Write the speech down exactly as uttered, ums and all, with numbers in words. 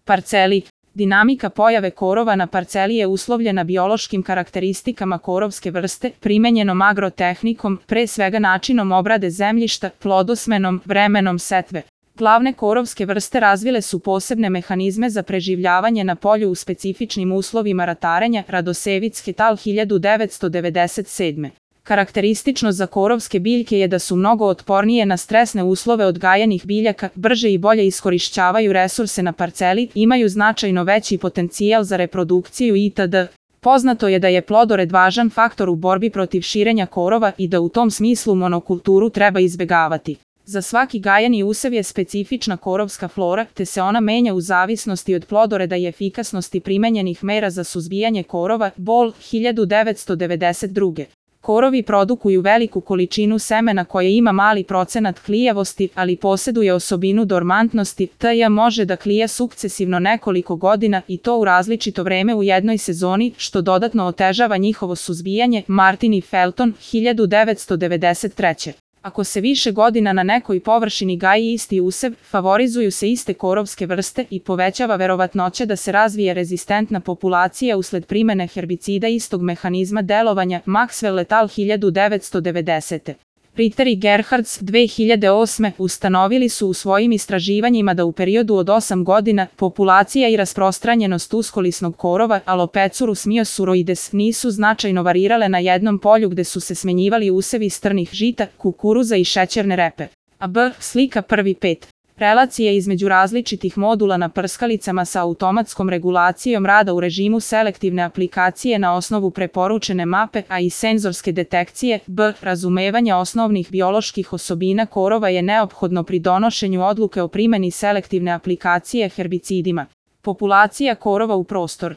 Parceli. Dinamika pojave korova na parceli je uslovljena biološkim karakteristikama korovske vrste, primenjenom agrotehnikom, pre svega načinom obrade zemljišta, plodosmenom, vremenom setve. Glavne korovske vrste razvile su posebne mehanizme za preživljavanje na polju u specifičnim uslovima ratarenja, Radosevic et al. hiljadu devetsto devedeset sedme. Karakteristično za korovske biljke je da su mnogo otpornije na stresne uslove odgajanih biljaka, brže i bolje iskorišćavaju resurse na parceli, imaju značajno veći potencijal za reprodukciju itd. Poznato je da je plodored važan faktor u borbi protiv širenja korova i da u tom smislu monokulturu treba izbegavati. Za svaki gajeni usev je specifična korovska flora, te se ona menja u zavisnosti od plodoreda i efikasnosti primenjenih mera za suzbijanje korova, Bol, hiljadu devetsto devedeset druge. Korovi produkuju veliku količinu semena koje ima mali procenat klijavosti, ali poseduje osobinu dormantnosti, tj. može da klija sukcesivno nekoliko godina i to u različito vreme u jednoj sezoni, što dodatno otežava njihovo suzbijanje, Martin i Felton, hiljadu devetsto devedeset treće. Ako se više godina na nekoj površini gaji isti usev, favorizuju se iste korovske vrste i povećava verovatnoća da se razvije rezistentna populacija usled primene herbicida istog mehanizma delovanja, Maxwell et al. hiljadu devetsto devedesete. Ritter i Gerhards dve hiljade osme. ustanovili su u svojim istraživanjima da u periodu od osam godina populacija i rasprostranjenost uskolisnog korova Alopesurus myosuroides nisu značajno varirale na jednom polju gde su se smenjivali usevi strnih žita, kukuruza i šećerne repe. A B. Slika prvi pet. Relacije između različitih modula na prskalicama sa automatskom regulacijom rada u režimu selektivne aplikacije na osnovu preporučene mape, a i senzorske detekcije. B. Razumevanje osnovnih bioloških osobina korova je neophodno pri donošenju odluke o primeni selektivne aplikacije herbicidima. Populacija korova u prostor.